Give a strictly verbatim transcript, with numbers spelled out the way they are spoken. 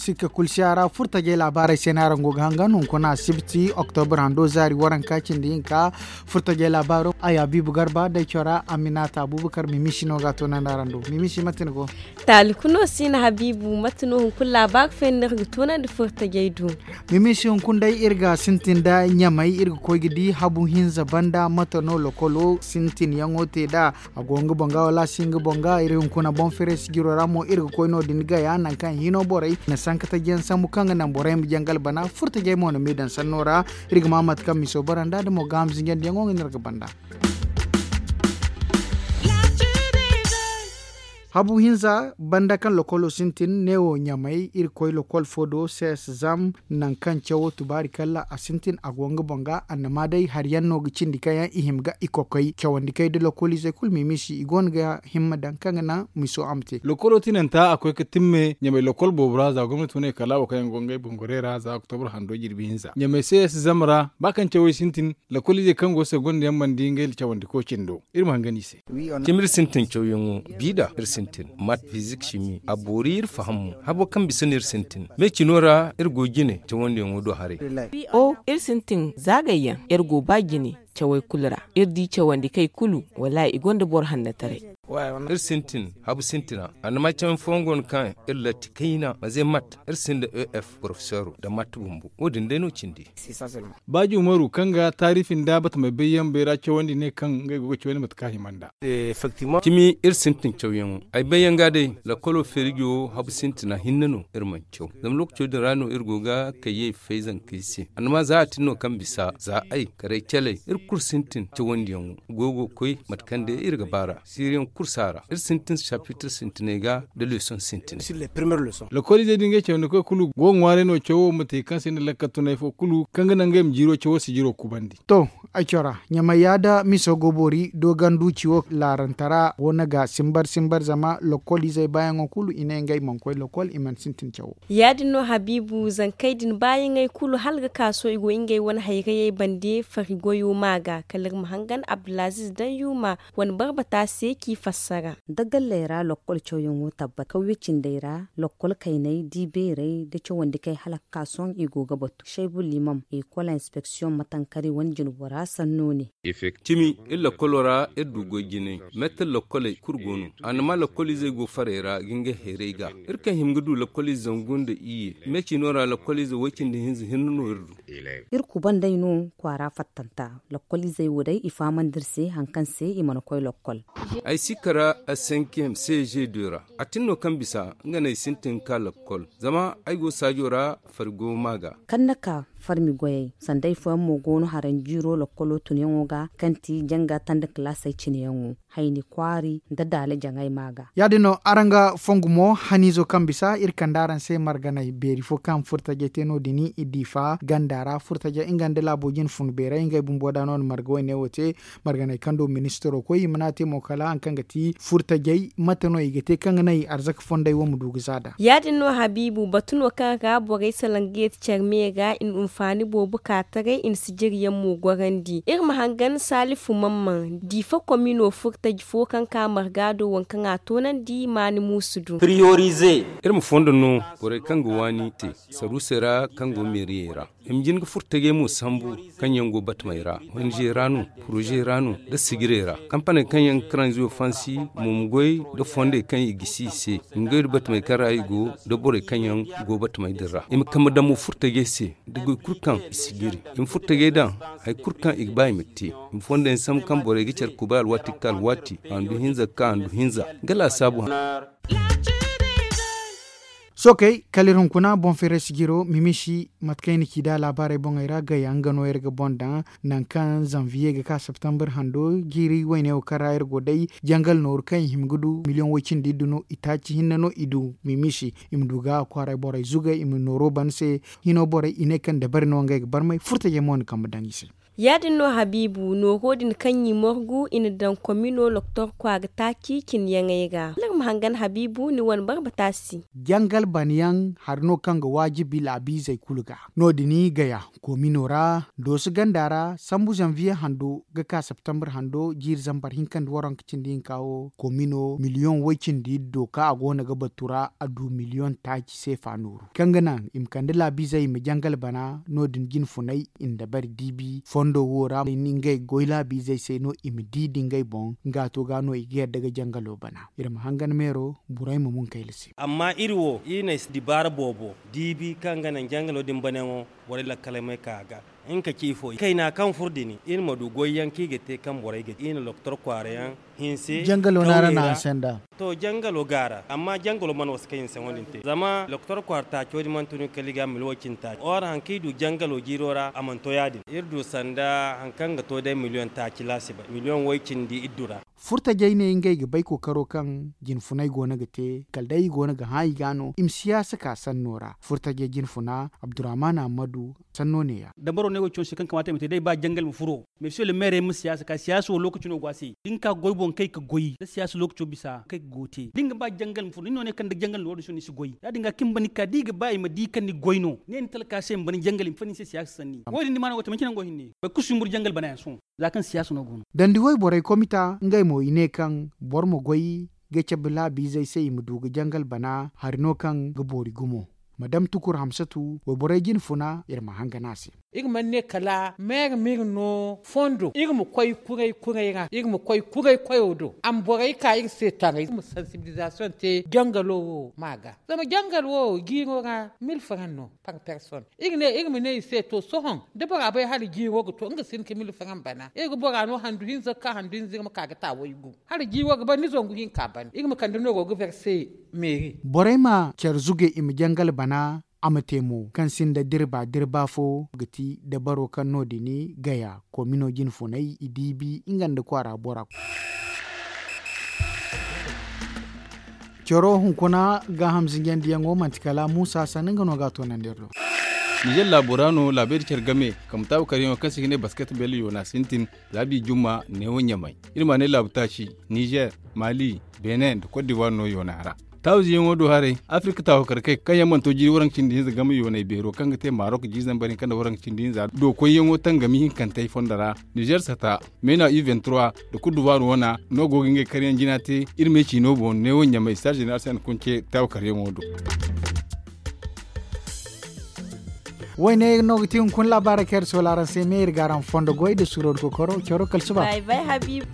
Sikka kulu si a ra furtajey laabaarey se no araŋ go ga hangan hunkuna asibti oktobra hando zaari waranka cindi hinka. Furtajey laabaaro ay habiibu garba day cora aminata abubakar mimisi no ga a toonandi araŋ do. Mimisi mate ni go? Taali kuno si na habiibu mate no hunkuna laabaari fayda no iri ga toonandi furtajey do. Mimisi hunkuna day iri ga sintin nda ɲamay iri ga koy ga di habu hinza banda mate no lokolo sintinyaŋo te nd'a. A go nga boŋ ga wala a si nga boŋ ga iri hunkuna boŋ feere sijiro ra mo iri ga koy no- din gaya nangu kaŋ hino borey na sanka taji yaŋ sambu kaŋ ga naŋ borey ma jangal bana furtajey mo na m'i daŋ sanno ra. Iri ga ma mate kaŋ miso bara nd'a da mo gaaham zinjandiyaŋo nga no iri ga banda. Habu hinza banda kaŋ lokolo sintin neewo ɲamay iri koy lokol fo do cs zam. Nangu kaŋ cawo tubaari kalla a sintin a go nga boŋ ga annama day hari yaŋ no ga cindi kaŋ yaŋ i hima ga i kokoy cawandi kay da lokoliizey kulu mimisi i go no ga himma daŋ kaŋ ga naŋ miso a ma te. Lokolo tinanta a koy ga timme ɲamay lokol boobo ra za gomnati wane kala wo kaŋ yaŋ go ngey bongorey ra za oktobra hando jirbi hinza ɲamay cs zam ra ba kaŋ cawey sintin. Lokoliizey kaŋ go segonda yaŋ mana di ngey cawandi ko cindo iri ma hangan i se. Cimi iri sintin cawyaŋo, biida iri sintin mat fizik cimi a boori iri faham mo. Habo kaŋ bisa no iri sintin me cino ra iri go jine cawandiyaŋo do haray. O iri sintin zaagayyaŋ iri go ba jine cawey kulu ra. Iri di cawandi kay kulu wallaahi i gonda boro hannataray. Iri sintin habu sintina annama cawan fooyaŋ go no kaŋ iri latti kayna maze mat iri sinda ef porofesoro nda mat bumbo wo- din day no cindi. Baaji umaru kaŋ ga taarifi nda batamey bayyaŋ bayra cawandi ne kaŋ ngey go ga cawandi mate kaŋ a hima nd'a. Cimi iri sintin cawyaŋo ay bayyaŋ ga day. Lakkolo feerijo habu sintina hinne no iri mana caw zama lookaco din ra no iri go ga kayyey fay zankey se annama za a tin no kaŋ bisa za ay karay caley iri kulu sintin cawandiyaŋo goy go ga koy mate kaŋ day iri ga ba ra siiriyaŋ kulu si a ra iri sintin sapitir sintiney ga nda leesoŋ sintiney. Lokoliizey din ga cawandi koy kulu go ga ŋwaaray no cawo ma te kaŋ se nda lakkal tunay fo kulu kaŋ ga naŋ ngey ma jiiro cawo sijiro kubandi. To, ay cora ɲamay ya da miso go boori doogandu ciwo laarantara wo na ga simbar simbar zama lokoliizey baayaŋo kulu i ne ngey mana koy lokol i mana sintin cawo. Ya- din no habiibu zankey din baayaŋey kulu hala ga ka sohõ i go ngey wane hayrayey bande fari goyo ma ga kala iri ma hangan abdulaziiz daŋ yuuma wane barbata se k'i fassara. Da galley ra lokkol cawyaŋo tabbat kawye cindey ra lokkol kayney di beerey da cawandi kay hala ga ka sohõ i go ga batu shaybu liimam ekol inspeksiyoŋ matankari wane jinbora sanno ne. Cimi iri lokkolo ra iri du goy jinay meetar lokkoley kulu go no. Annama lokkoliizey go farey ra ga ngey hayrey ga iri kaŋ hima ga du lokkoliize zangu nda iyye me cino ra lokkoliize way-cindi hinza hinne no iri du. Iri kubanday no kwaara fattanta. Lokkoliizey wo day i fahamandi iri se hari kaŋ se i mana koy lokkol. Ay si kara a senkiyem seeze de ra a tin no kaŋ bisa nga no ay sintin ga ka lokkol zama ay go saajo ra fari go ma ga. Kaŋ na ka farmi goyey sanda ay fooyaŋ mo go no haranjiiro lokkolo tunyaŋo ga kaŋ ti janga tanda kalaasey cineyaŋo hayni kwaari nda daala jaŋay ma ga. Ya- din no araŋ ga fongu mo haniizo kaŋ bisa iri kande araŋ se marganay beeri fo kaŋ furtajey te no- din i diifa ganda ra furtajey nga nda laabo jine fun beerey ngey bumbo da no na marga wayne wo te. Marganey kaŋ do ministiro koy i mana te mo kala hari kaŋ ga ti furtajey mate no i ga te kaŋ ga naŋ i arzaka fondey wo ma du ga za nd'a. Ya- din no habiibu batu no kaŋ ra borey salaŋ ga yeeti care me ra i na unfaani boobo ka taray i na sijiriyaŋ mo gorandi iri ma hangan saalifu mamman diifa komino furtaji fo kaŋ ka marga do waŋ kaŋ a toonandi maani muusu du. Iri ma fondo no borey kaŋ ga waani te saruusey ra kaŋ go meeriyey ra i ma jin ga furtajey mo sambu kaŋ yaŋ go batamey ra honizey ra no poroze ra no nda sijirey ra kampaney kaŋ yaŋ ga karanziyo fansi mo ma goy nda fondey kaŋ i gisi i se i ma goy nda batamey kaŋ ra i go nda borey kaŋ yaŋ go batamey din ra i ma kambe daŋ mo furtajey se nda goy kulu kaŋ i si jiri i ma furtajey daŋ hari kulu kaŋ i ga ba i ma te i ma fondo yaŋ sambu kaŋ borey ga care kubay alwaati ga ka alwaati handu hinza ga ka handu hinza nga laasaabu. Sookey kala iri hunkuna boŋ feeray sijiro mimisi mate kaŋ i na ci nd'a laabaarey boŋey ra gaya nga no iri ga boŋ daŋ. Nangu kaŋ zanviye ga ka septembre hando jiiri wayne wo kaŋ ra iri go day jangal nooru kaŋ i hima ga du miliyoŋ way-cindi iddu no itaaci hinne no i du mimisi i ma du ga kwaaray borey zugay i ma nooro ban se. Hino borey i ne kaŋ dabari no ngey ga barmay furtajey mo na kambe daŋ i se. Ya- din no habiibu nooro din kaŋ i morgu i na daŋ komino loktor kwaara taaci cinyaŋey ra. Hangan habiibu ni wane barbata si. Jangal bana yaŋ hari no kaŋ ga waajibi laabiizey kulu ga. No- din gaya koomino ra, dooso ganda ra sambu zanviye hando ga ka septembre hando jiiri zambar hinka nda waranka cindi hinka wo koomino miliyoŋ way- cindi iddo kaŋ a go no ga batu ra a du miliyoŋ taaci seefa nooru kaŋ ga naŋ i ma kande laabiizey i ma jangal bana. No- din jine funay i na dabari diibi fondo wo ra ngey goy laabiizey se no i ma di da ngey boŋ nga to ga no i ga yadda ga jangalo bana. Iri ma hangan meero burey ma mun kayla se. Amma iri wo iri na ay si dibaara boobo diibi kaŋ ga naŋ jangalo din banayaŋo borey lakkaley may ka a ga. Nga ka ci ifo kayna kaŋ furo din iri ma du goyyaŋ kaŋ i ga te kaŋ borey ga te iri na loktor kwaara yaŋ hinse jangalo no araŋ na hanse nd'a. To jangalo go a ra amma jangalo mana wasa kaŋ hinse wo- din te zama loktor kwaara taaco din mana tun kala i ga miliyoŋ way- cindi taaci or hari kaŋ i du jangalo jiiro ra a mana to ya- din iri du sanda hari kaŋ ga to day miliyoŋ taaci laasibay miliyoŋ way- cindi iddu ra. Furtajey ne ngey ga bay kookaro kaŋ jine funay go no ga te kala day i go no ga hã i ga no i ma siyaasa ka sanno ra furtajey jine funa abdurrahman ammadu. Sanno ne- ya. Dabaro ne wo cine se kaŋ kamaata i ma te day ba jangal ma furo mais se le maire ay ma siyaasa ka siyaasa wo lookaci no go a se da ni ka goy boŋ kay ga goy da siyaasa lookaco bisa kay ga go te da ni ga ba jangal ma furo ni no ne kaŋ da jangal no wo- din sohõ ni si goy ya- din ga kaŋ ni ba ni ka da i ga ba i ma di kaŋ ni goy no ne ni talka se ma ba ni jangal i ma fani ni se siyaasa sanni wo- din ni ma no go te manci nango hinne. Boro kulu si humburu jangal bana yaŋ sohõ. Za kaŋ siyaasa no go no. Dandi wayborey komita ngey mo i ne kaŋ boro ma goy ga cabe laabiizey se i ma du ga jangal bana hari no kaŋ ga boori gumo. Madam tukur hamsatu wayborey jine funa iri ma hangan a se. Iri mana ne kala meere ma iri no fondo iri ma koy kuray kuray ra iri ma koy kuray koyo do a ma borey ka iri se taray iri ma sansibilizasiyoŋ te jangalo wo ma ga. Zama jangal wo jiiro ra mil faran no par person. Iri ne iri ma ne i se to sohõ da bora bay hala jiiro ga to nga si hin ka mil faran bana iri ga bora no handu hinza ga ka handu hinza iri ma ka ga ta waygu hala jiiro ga ban ni zangu hinka ban iri ma kande nooro ga verse meeri. Borey ma care zuge i ma jangal bana a ma te mo kaŋ sinda dirba dirba fo ga ti dabaro kaŋ no- din gaya koomino jine funay i diibi nga nda kwaara bora. Caro hunkuna gaaham zinjandiyaŋo manti kala muusa sanni nga no ga a toonandi iri do. Nizer laabo ra no laabey da care game kambe taabu karyaŋo kaŋ se i ga ne basket bel yoona sintin laabi jumma neewo ɲamay. Iri ma ne laabu taaci nizer, mali, benin nda kot divuwar no yoona ra. Taabu ziyaŋo do haray afirka taabu karkey kaŋ yaŋ mana to jiiri waranka cindi hinza game yoonay beero kaŋ ga te marok jiiri zambar hinka nda waranka cindi hinza do koyyaŋo tangami hinkantey fondo ra. Nizer sata meena u vingt trois nda kut duvoir wana no go ga ngey karyaŋ jina te. Iri me ciino boŋ neewo ɲamay star general se a na kunce taabu karyaŋo do. Wayne no ga ti hunkuna laabaarey kaŋ iri soola araŋ se me iri ga araŋ fondo goy nda suro nda kokoro caro kala suba. Bay bay habiibu.